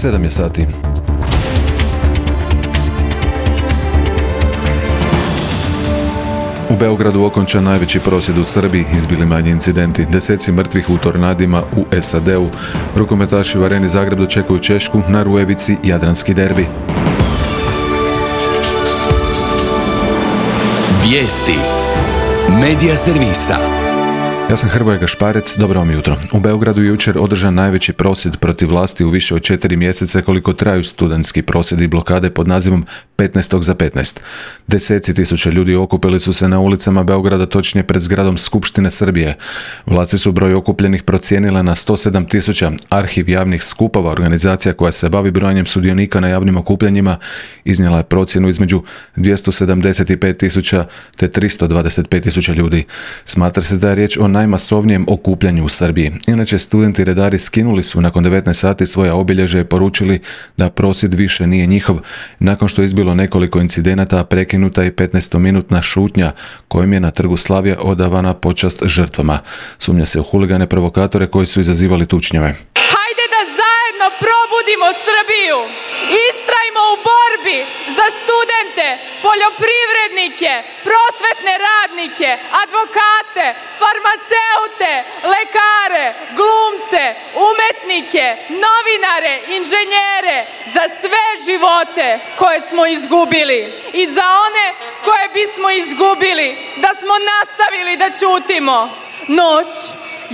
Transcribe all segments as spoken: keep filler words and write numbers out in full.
Sedam je sati. U Beogradu okončan najveći prosvjed u Srbiji, izbili manji incidenti, deseci mrtvih u tornadima u S A D-u. Rukometaši u Areni Zagreb dočekuju Češku, na Rujevici Jadranski derbi. Vijesti Medija servisa. Ja sam Hrvoje Gašparec, dobro vam jutro. U Beogradu je jučer održan najveći prosvjed protiv vlasti u više od četiri mjeseca koliko traju studentski prosvjedi i blokade pod nazivom petnaest za petnaest. Deseci tisuća ljudi okupili su se na ulicama Beograda, točnije pred zgradom Skupštine Srbije. Vlasti su broj okupljenih procijenile na sto sedam tisuća. Arhiv javnih skupova, organizacija koja se bavi brojanjem sudionika na javnim okupljanjima, iznijela je procjenu između dvjesto sedamdeset pet tisuća te tristo dvadeset pet tisuća ljudi. Smatra se da je riječ o najmasovnijem okupljanju u Srbiji. Inače, studenti redari skinuli su nakon devetnaest sati svoja obilježja i poručili da prosvjed više nije njihov, nakon što je izbilo nekoliko incidenata, prekinuta i petnaestominutna šutnja kojim je na trgu Slavija odavana počast žrtvama. Sumnja se u huligane provokatore koji su izazivali tučnjave. Hajde da zajedno probudimo Srbiju! Istrajmo u borbi za studente, poljoprivrednike, prosvetne radnike, advokate, farmaceute, lekare, glumce, umetnike, novinare, inženjere, za sve živote koje smo izgubili i za one koje bismo izgubili da smo nastavili da ćutimo. Noć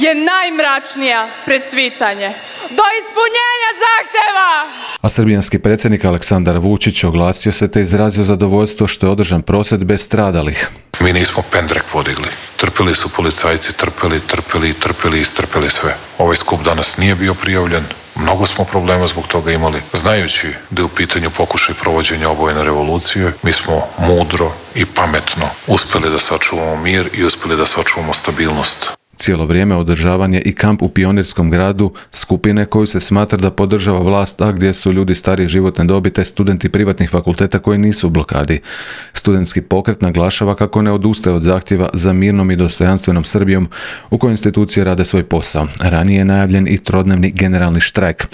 je najmračnija pred svitanje. Do ispunjenja zahtjeva! A srbijanski predsjednik Aleksandar Vučić oglasio se te izrazio zadovoljstvo što je održan prosvjed bez stradalih. Mi nismo pendrek podigli. Trpili su policajci, trpili, trpili, trpili i istrpili sve. Ovaj skup danas nije bio prijavljen. Mnogo smo problema zbog toga imali. Znajući da je u pitanju pokušaj provođenja obojene revolucije, mi smo mudro i pametno uspjeli da sačuvamo mir i uspjeli da sačuvamo stabilnost. Cijelo vrijeme održavan je i kamp u Pionirskom gradu, skupine koju se smatra da podržava vlast, a gdje su ljudi starije životne dobi te studenti privatnih fakulteta koji nisu u blokadi. Studentski pokret naglašava kako ne odustaje od zahtjeva za mirnom i dostojanstvenom Srbijom u kojoj institucije rade svoj posao. Ranije je najavljen i trodnevni generalni štrajk.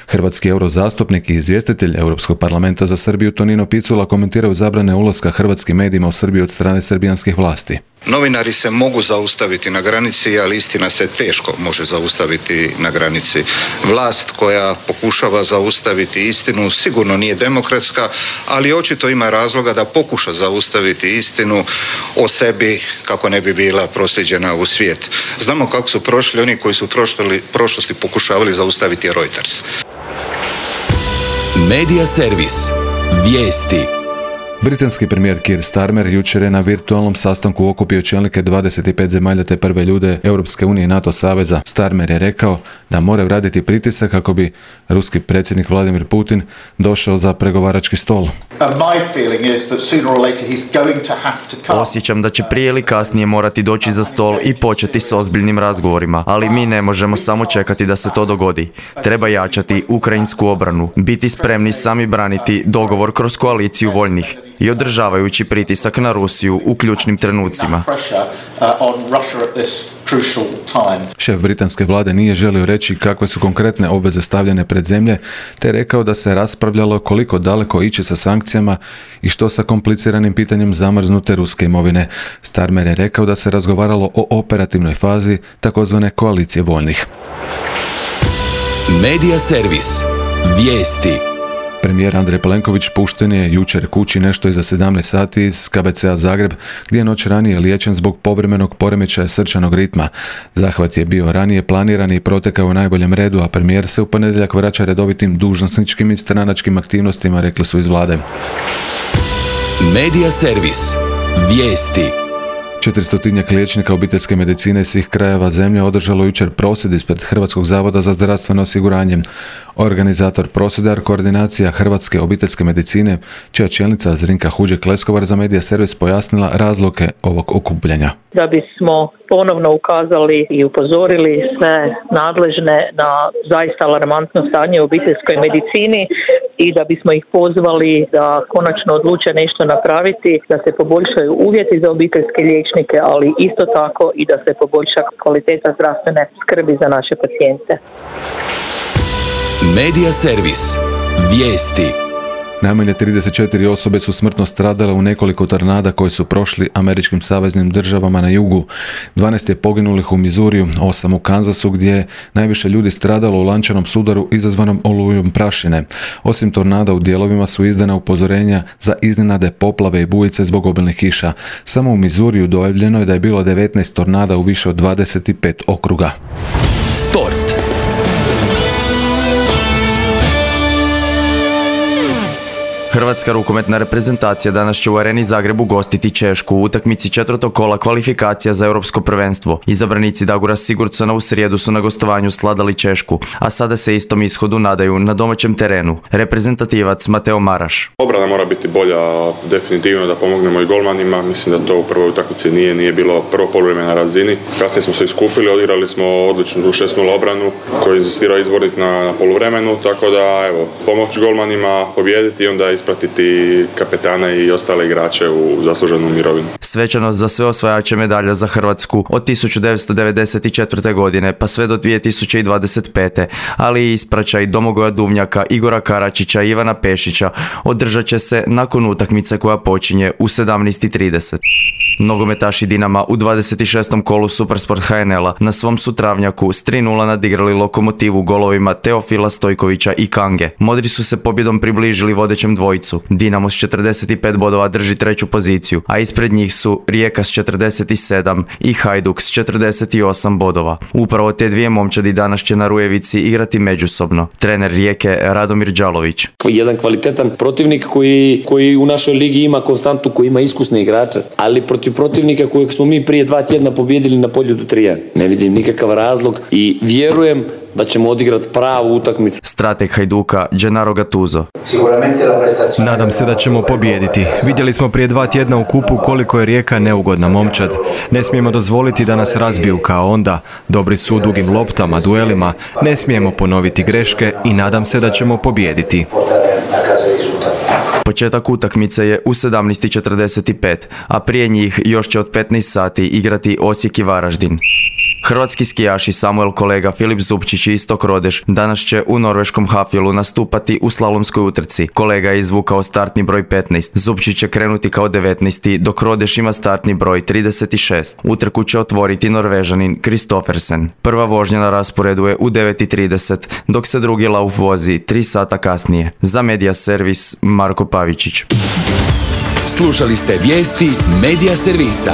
Hrvatski eurozastupnik i izvjestitelj Europskog parlamenta za Srbiju Tonino Picula komentiraju zabrane ulaska hrvatskim medijima u Srbiju od strane srbijanskih vlasti. Novinari se mogu zaustaviti na granici, ali istina se teško može zaustaviti na granici. Vlast koja pokušava zaustaviti istinu sigurno nije demokratska, ali očito ima razloga da pokuša zaustaviti istinu o sebi kako ne bi bila proslijeđena u svijet. Znamo kako su prošli oni koji su prošli, prošlosti pokušavali zaustaviti Reuters. Medija servis. Vijesti. Britanski premijer Keir Starmer jučer je na virtualnom sastanku okupio čelnike dvadeset pet zemalja te prve ljude Europske unije i NATO saveza. Starmer je rekao da moraju raditi pritisak kako bi ruski predsjednik Vladimir Putin došao za pregovarački stol. Osjećam da će prije ili kasnije morati doći za stol i početi s ozbiljnim razgovorima, ali mi ne možemo samo čekati da se to dogodi. Treba jačati ukrajinsku obranu, biti spremni sami braniti dogovor kroz koaliciju voljnih i održavajući pritisak na Rusiju u ključnim trenucima. Šef britanske vlade nije želio reći kakve su konkretne obveze stavljene pred zemlje, te rekao da se raspravljalo koliko daleko ići sa sankcijama i što sa kompliciranim pitanjem zamrznute ruske imovine. Starmer je rekao da se razgovaralo o operativnoj fazi takozvane koalicije voljnih. Medija servis. Vijesti. Premijer Andrej Plenković pušten je jučer kući nešto iza sedamnaest sati iz K B C-a Zagreb, gdje je noć ranije liječen zbog povremenog poremećaja srčanog ritma. Zahvat je bio ranije planiran i protekao u najboljem redu, a premijer se u ponedjeljak vraća redovitim dužnosničkim i stranačkim aktivnostima, rekli su iz vlade. Medija servis. Vijesti. Četiristotinjak liječnika obiteljske medicine iz svih krajeva zemlje održalo jučer prosvjed ispred Hrvatskog zavoda za zdravstveno osiguranje. Organizator prosvjeda je Koordinacija Hrvatske obiteljske medicine, čija čelnica Zrinka Huđek-Leskovar za Medija servis pojasnila razloge ovog okupljanja. Da bismo ponovno ukazali i upozorili sve nadležne na zaista alarmantno stanje u obiteljskoj medicini i da bismo ih pozvali da konačno odluče nešto napraviti, da se poboljšaju uvjeti za obiteljske liječnike, ali isto tako i da se poboljša kvaliteta zdravstvene skrbi za naše pacijente. Medija servis. Vijesti. Najmanje trideset četiri osobe su smrtno stradale u nekoliko tornada koji su prošli američkim saveznim državama na jugu. dvanaest je poginulih u Mizuriju, osam u Kansasu gdje je najviše ljudi stradalo u lančanom sudaru izazvanom olujom prašine. Osim tornada u dijelovima su izdana upozorenja za iznenade, poplave i bujice zbog obilnih kiša. Samo u Mizuriju dojavljeno je da je bilo devetnaest tornada u više od dvadeset pet okruga. Sport. Hrvatska rukometna reprezentacija danas će u Areni Zagreb ugostiti Češku u utakmici četvrtog kola kvalifikacija za europsko prvenstvo. Izabranici Dagura Sigurdsona u srijedu su na gostovanju sladali Češku, a sada se istom ishodu nadaju na domaćem terenu. Reprezentativac Mateo Maraš. Obrana mora biti bolja, definitivno da pomognemo i golmanima. Mislim da to u prvoj utakmici nije, nije bilo prvo poluvreme na razini. Kasnije smo se iskupili, odigrali smo odličnu šest nula obranu koju je insistirao izbornik na, na poluvremenu, tako da evo, pomoći golmanima, pobijediti i onda ispratiti kapetana i ostale igrače u zasluženu mirovinu. Svečanost za sve osvajače medalja za Hrvatsku od tisuću devetsto devedeset četvrte. godine pa sve do dvije tisuće dvadeset pete. ali i ispraćaj Domagoja Duvnjaka, Igora Karačića i Ivana Pešića održat će se nakon utakmice koja počinje u sedamnaest i trideset. Nogometaši Dinama u dvadeset šestom kolu Supersport H N L-a na svom su travnjaku s tri nula nadigrali Lokomotivu golovima Teofila Stojkovića i Kange. Modri su se pobjedom približili vodećem dvojicu. Dinamo s četrdeset pet bodova drži treću poziciju, a ispred njih su Rijeka s četrdeset sedam i Hajduk s četrdeset osam bodova. Upravo te dvije momčadi danas će na Rujevici igrati međusobno. Trener Rijeke Radomir Đalović. Jedan kvalitetan protivnik koji, koji u našoj ligi ima konstantu, koji ima iskusne igrače, ali protiv protivnika kojeg smo mi prije dva tjedna pobijedili na Poljudu tri jedan. Ne vidim nikakav razlog i vjerujem da ćemo odigrati pravu utakmicu. Strateg Hajduka Gennaro Gattuso. Nadam se da ćemo pobijediti. Vidjeli smo prije dva tjedna u kupu koliko je Rijeka neugodna momčad. Ne smijemo dozvoliti da nas razbiju kao onda. Dobri su u dugim loptama, duelima. Ne smijemo ponoviti greške i nadam se da ćemo pobijediti. Početak utakmice je u sedamnaest i četrdeset pet, a prije njih još će od petnaest sati igrati Osijek i Varaždin. Hrvatski skijaši Samuel Kolega, Filip Zupčić i Istok Rodeš danas će u norveškom Hafjelu nastupati u slalomskoj utrci. Kolega je izvukao startni broj petnaest, Zupčić će krenuti kao devetnaesti, dok Rodeš ima startni broj trideset šest. Utrku će otvoriti Norvežanin Kristoffersen. Prva vožnja na rasporedu je u devet i trideset, dok se drugi lauf vozi tri sata kasnije. Za Medija servis Marko Pavičić. Slušali ste vijesti Medija servisa.